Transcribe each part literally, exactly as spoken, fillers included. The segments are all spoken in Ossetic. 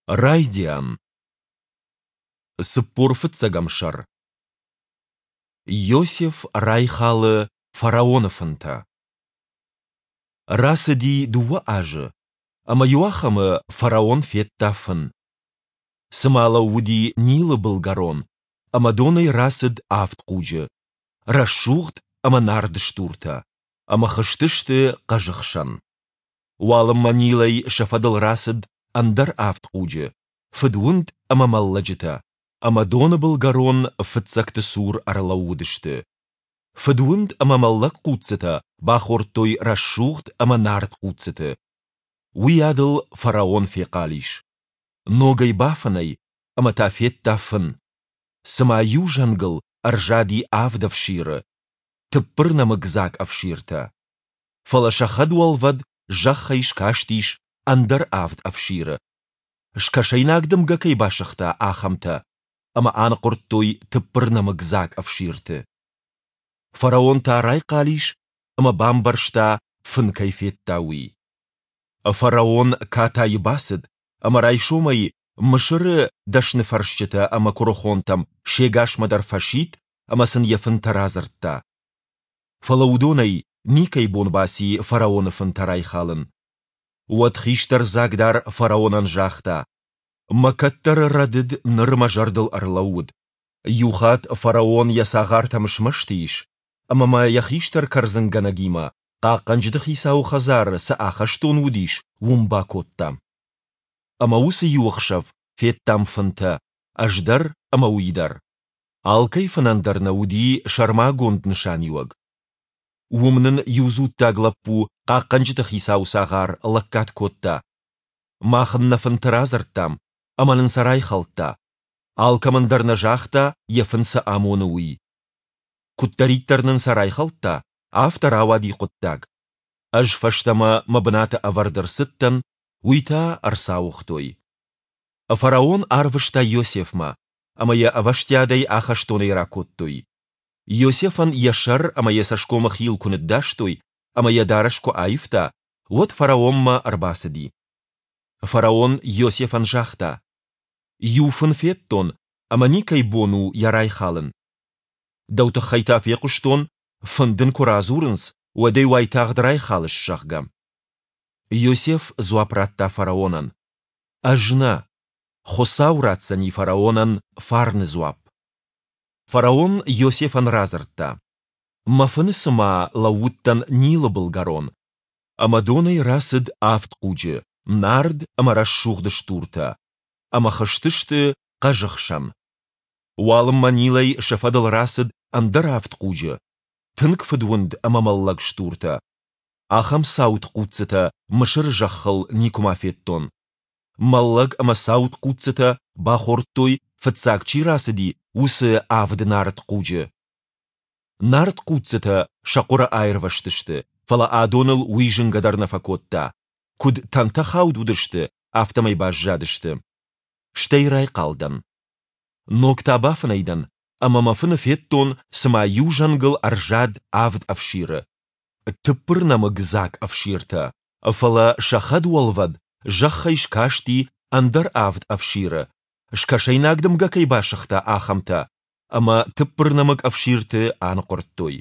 Райдиан. Цыппор фыццӕгӕм сӕр. Иосиф райхалы фараоны фынтӕ. Рацыди дыууӕ азы, ӕмӕ иуахӕмы фараон федта фын. Цыма лӕууыди Нилы былгӕрон, ӕмӕ донӕй рацыд авд хъуджы, рӕсугъд ӕмӕ нард стуртӕ, ӕмӕ хызтысты хъӕзы хсӕн. Уалынмӕ Нилӕй сӕ фӕдыл рацыд ӕндӕр авд хъуджы, фыдуынд ӕмӕ мӕллӕджытӕ, ӕмӕ доны былгӕрон фыццӕгты цур ӕрлӕууыдысты. Фыдуынд ӕмӕ мӕллӕг хъуццытӕ бахордтой рӕсугъд ӕмӕ нард хъуццыты. Уыйадыл фараон фехъал ис. Ногӕй бафынӕй ӕмӕ та федта фын. Цыма иу зӕнгыл ӕрзади авд ӕфсиры, тыппырнӕмыг дзаг ӕфсиртӕ. Фӕлӕ сӕ хӕдуӕлвӕд зӕххӕй скастис ӕндӕр авд ӕфсиры, скӕсӕйнаг дымгӕ кӕй басыгъта, ахӕмтӕ, ӕмӕ аныхъуырдтой тыппырнӕмыг дзаг ӕфсирты. Фараон та райхъал ис ӕмӕ бамбӕрста, фын кӕй федта, уый. Фараон катайы бацыд ӕмӕ райсомӕй Мысыры дӕсныфӕрсджытӕ ӕмӕ куырыхонтӕм се гасмӕ дӕр фӕсидт ӕмӕ сын йӕ фынтӕ радзырдта. Фӕлӕ уыдонӕй никӕй бон баци фараоны фынтӕ райхалын. Уӕд хистӕр дзагдар фараонӕн загъта: Мӕ кӕддӕры рӕдыд ныр мӕ зӕрдыл ӕрлӕууыд. Иухатт фараон йӕ цагъартӕм смӕсты ис, ӕмӕ мӕ йӕ хистӕр кӕрдзынгӕнӕгимӕ, хъахъхъӕнджыты хицауы хӕдзары цы ахӕстон уыдис, уым бакодта. Ӕмӕ уыцы иу ӕхсӕв федтам фынтӕ, ӕз дӕр ӕмӕ уый дӕр. Алкӕй фынӕн дӕр нӕ уыди сӕрмагонд нысаниуӕг. Уым нын иу дзуттаг лӕппу, хъахъхъӕнджыты хицауы цагъар, лӕггад кодта. Мах ын нӕ фынтӕ радзырдтам, ӕмӕ нын сӕ райхӕлдта. Алкӕмӕн дӕр нӕ загъта, йӕ фын цы амоны, уый. Куыддӕриддӕр нын сӕ райхӕлдта, афтӕ рауади хъуыддаг. Ӕз фӕстӕмӕ мӕ бынаты ӕвӕрд ӕрцыдтӕн, уый та ӕрцауыгътой. Фараон арвыста Иосифмӕ, ӕмӕ йӕ ӕвӕстиатӕй ахӕстонӕй ракодтой. Иосифӕн йӕ сӕр ӕмӕ йӕ цӕсгомы хил куы ныддастой ӕмӕ йӕ дарӕс куы аивта, уӕд фараонмӕ ӕрбацыди. Фараон Иосифӕн загъта: Иу фын федтон, ӕмӕ никӕй бон у йӕ райхалын. Дӕу тыххӕй та фехъуыстон, фын дын куы радзурынц, уӕд ӕй уайтагъд райхалыс, зӕгъгӕ. Иосиф дзуапп радта фараонӕн: Ӕз нӕ. Хуыцау ратдзӕни фараонӕн фарны дзуапп. Фараон Иосифӕн радзырдта: Мӕ фыны цыма лӕууыдтӕн Нилы былгӕрон, ӕмӕ донӕй рацыд авд хъуджы, нард ӕмӕ рӕсугъд стуртӕ, ӕмӕ хызтысты хъӕзы хсӕн. Уалынмӕ Нилӕй сӕ фӕдыл рацыд ӕндӕр авд хъуджы, тынг фыдуынд ӕмӕ мӕллӕг стуртӕ. Ахӕм цауд хъуццытӕ Мысыры зӕххыл никуыма федтон. Мӕллӕг ӕмӕ цауд хъуццытӕ бахордтой, фыццаг чи рацыди, уыцы авд нард хъуджы. Нард хъуццытӕ сӕ хъуыры аирвӕзтысты, фӕлӕ адоныл уый зынгӕ дӕр нӕ фӕкодта, куыд тӕнтӕ хауд уыдысты, афтӕмӕй баззадысты. Стӕй райхъал дӕн. Ног та бафынӕй дӕн ӕмӕ мӕ фыны федтон, цыма иу зӕнгыл ӕрзад авд ӕфсиры, тыппырнӕмыг дзаг ӕфсиртӕ, фӕлӕ сӕ хӕдуӕлвӕд зӕххӕй скасти ӕндӕр авд ӕфсиры, скӕсӕйнаг дымгӕ кӕй басыгъта, ахӕмтӕ, ӕмӕ тыппырнӕмыг ӕфсирты аныхъуырдтой.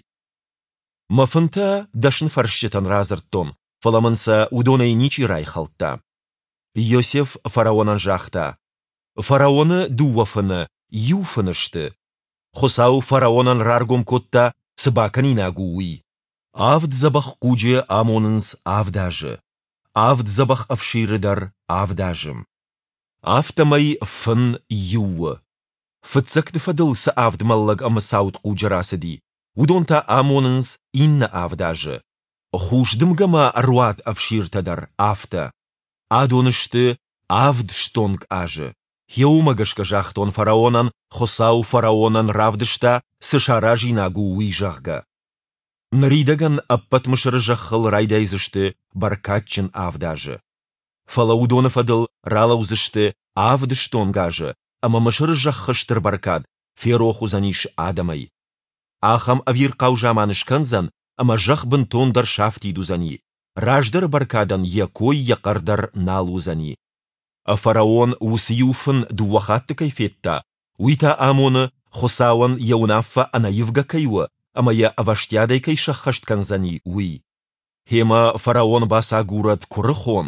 Мӕ фынтӕ дӕсныфӕрсджытӕн радзырдтон, фӕлӕ мын сӕ уыдонӕй ничи райхӕлдта. Иосиф фараонӕн загъта: Фараоны дыууӕ фыны иу фыны сты. Хуыцау фараонӕн раргом кодта, цы бакӕнинаг у, уый. Авд дзӕбӕх хъуджы амонынц авд азы, авд дзӕбӕх ӕфсиры дӕр авд азы. Афтӕмӕй фын иу у. Фыццӕгты фӕдыл цы авд мӕллӕг ӕмӕ цауд хъуджы рацыди, уыдон та амонынц иннӕ авд азы. Хус дымгӕмӕ ӕруад ӕфсиртӕ дӕр афтӕ. Адон сты авд стонг азы. Гъе уымӕ гӕсгӕ загътон фараонӕн, Хуыцау фараонӕн равдыста, цы саразинаг у, уый, зӕгъгӕ. Ныридӕгӕн ӕппӕт Мысыры зӕххыл райдайдзысты бӕркадджын авд азы. Фӕлӕ уыдоны фӕдыл ралӕудзысты авд стонг азы, ӕмӕ Мысыры зӕххы стыр бӕркад ферох уыдзӕнис адӕмӕй. Ахӕм ӕвирхъау заман скӕндзӕн, ӕмӕ зӕхх бынтондӕр сафтид уыдзӕни, раздӕры бӕркадӕн йӕ кой йӕ хъӕр дӕр нал уыдзӕни. Фараон уыцы иу фын дыууӕ хатты кӕй федта, уый та амоны, Хуыцауӕн йӕ уынаффӕ ӕнӕивгӕ кӕй у ӕмӕ йӕ ӕвӕстиатӕй кӕй сӕххӕст кӕндзӕни, уый. Гъемӕ фараон бацагурӕд куырыхон,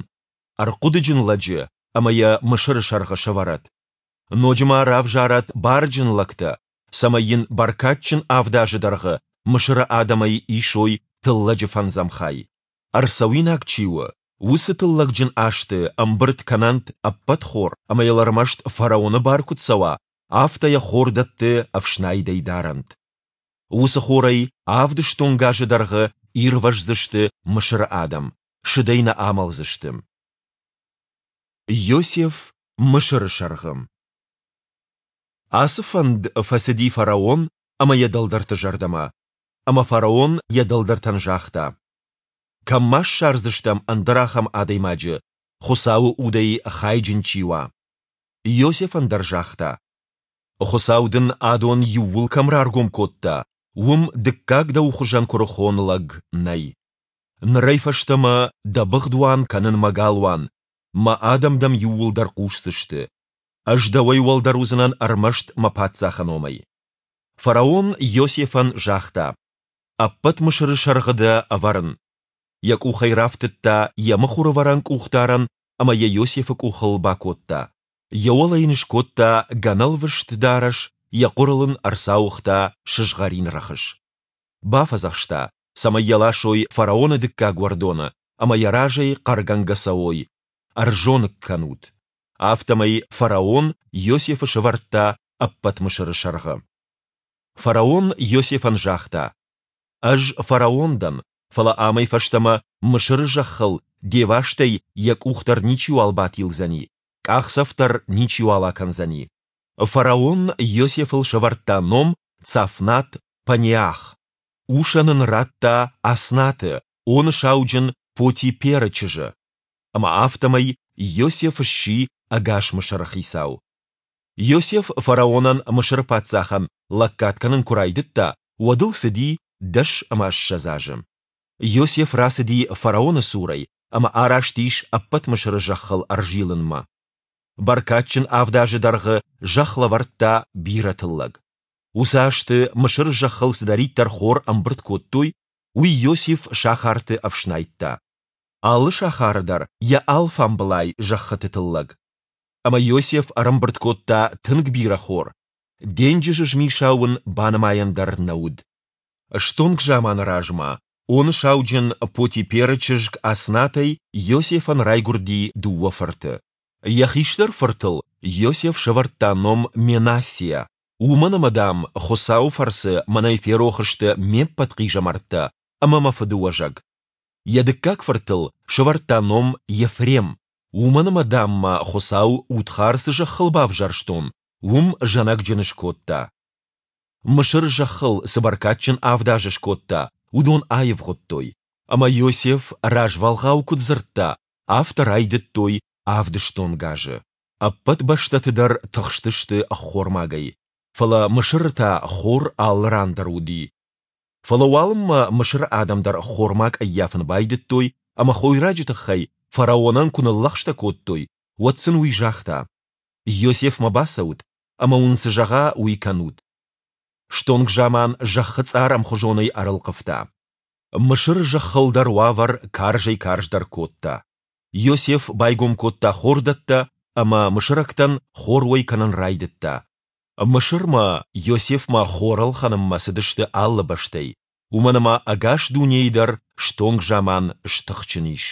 ӕрхъуыдыджын лӕджы ӕмӕ йӕ Мысыры сӕргъы сӕвӕрӕд. Ноджы ма равзарӕд барджын лӕгтӕ, цӕмӕй йын бӕркадджын авд азы дӕргъы Мысыры адӕмӕй исой тыллӕджы фӕндзӕм хай. Ӕрцӕуинаг чи у, уыцы тыллӕгджын азты ӕмбырд кӕнӕнт ӕппӕт хор ӕмӕ йыл ӕрмӕст фараоны бар куыд цӕуа, афтӕ йӕ хордӕтты ӕфснайдӕй дарӕнт. Уыцы хорӕй авд стонг азы дӕргъы ирвӕздзысты Мысыры адӕм, сыдӕй нӕ амӕлдзысты. Иосиф Мысыры сӕргъы. Ацы фӕнд фӕцыди фараон ӕмӕ йӕ дӕлдӕрты зӕрдӕмӕ. Ӕмӕ фараон йӕ дӕлдӕртӕн загъта: Кӕм ма ссардзыстӕм ӕндӕр ахӕм адӕймаджы, Хуыцауы удӕй хайджын чи уа? Иосифӕн дӕр загъта: Хуыцау дын адон иууыл кӕм раргом кодта, уым дыккаг дӕу хуызӕн куырыхон лӕг нӕй. Нырӕй фӕстӕмӕ дӕ быгъдуан кӕнын мӕ галуан, мӕ адӕм дӕм иууылдӕр хъусдзысты. Ӕз дӕуӕй уӕлдӕр уыдзынӕн ӕрмӕст мӕ паддзахы номӕй. Фараон Иосифӕн загъта: Ӕппӕт Мысыры сӕргъы дӕ ӕвӕрын. Йӕ къухӕй рафтыдта йӕ мыхуырӕвӕрӕн къухдарӕн ӕмӕ йӕ Иосифы къухыл бакодта. Йӕ уӕлӕ йын скодта гӕнӕлвӕст дарӕс, йӕ хъуырыл ын ӕрцауыгъта сызгъӕрин рӕхыс. Бафӕдзӕхста, цӕмӕй йӕ ласой фараоны дыккаг уӕрдоны ӕмӕ йӕ разӕй хъӕргӕнгӕ цӕуой: Ӕрзоныг кӕнут! Афтӕмӕй фараон Иосифы сӕвӕрдта ӕппӕт Мысыры сӕргъы. Фараон Иосифӕн загъта: Ӕз фараон дӕн, фӕлӕ амӕй фӕстӕмӕ Мысыры зӕххыл де вастӕй йӕ къух дӕр ничиуал батилдзӕни, къахдзӕф дӕр ничиуал акӕндзӕни. Фараон Иосифыл сӕвӕрдта ном Цафнат-Панеах. Усӕн ын радта Аснаты, Оны сауджын Поти-Перы чызджы. Ӕмӕ афтӕмӕй Иосиф сси ӕгас Мысыры хицау. Иосиф фараонӕн, Мысыры паддзахӕн, лӕггад кӕнын куы райдыдта, уӕд ыл цыди дӕс ӕмӕ ссӕдз азы. Иосиф рацыди фараоны цурӕй ӕмӕ араст ис ӕппӕт Мысыры зӕххыл ӕрзилынмӕ. Бӕркадджын авд азы дӕргъы зӕхх лӕвӕрдта бирӕ тыллӕг. Уыцы азты Мысыры зӕххыл цыдӕриддӕр хор ӕмбырд кодтой, уый Иосиф сахарты ӕфснайдта. Алы сахары дӕр йӕ алфамбылай зӕххыты тыллӕг. Ӕмӕ Иосиф ӕрӕмбырд кодта тынг бирӕ хор, денджызы змисау ын банымайӕн дӕр нӕ уыд. Стонг заманы размӕ Оны сауджын Потиперы чызг Аснатӕй Иосифӕн райгуырди дыууӕ фырты. Йӕ хистӕр фыртыл Иосиф сӕвӕрдта ном Менассиа, уымӕн ӕмӕ, дам, Хуыцауы фӕрцы мӕнӕй ферох сты ме ппӕт хъизӕмӕрттӕ ӕмӕ мӕ фыдыуӕзӕг. Йӕ дыккаг фыртыл сӕвӕрдта ном Ефрем, уымӕн ӕмӕ, дам мӕ Хуыцау удхар цы зӕххыл бавзӕрстон, уым зӕнӕгджын скодта. Мысыры зӕххыл цы бӕркадджын авд азы скодта, уыдон аивгъуыдтой, ӕмӕ Иосиф развӕлгъау куыд дзырдта, афтӕ райдыдтой авд стонг азы. Ӕппӕт бӕстӕты дӕр тыхстысты ӕххормагӕй, фӕлӕ Мысыры та хор алы ран дӕр уыди. Фӕлӕ уалынмӕ Мысыры адӕм дӕр ӕххормаг ӕййафын байдыдтой ӕмӕ хойраджы тыххӕй фараонӕн куы ныллӕгъстӕ кодтой, уӕд сын уый загъта: Иосифмӕ бацӕут ӕмӕ уын цы зӕгъа, уый кӕнут. Стонг заман зӕххы цъар ӕмхуызонӕй ӕрӕлхъывта. Мысыры зӕххыл дӕр уавӕр карзӕй-карздӕр кодта. Иосиф байгом кодта хордӕттӕ ӕмӕ мысырӕгтӕн хор уӕй кӕнын райдыдта. Мысырмӕ Иосифмӕ хор ӕлхӕнынмӕ цыдысты алы бӕстӕй, уымӕн ӕмӕ ӕгас дунейы дӕр стонг заман стыхджын ис.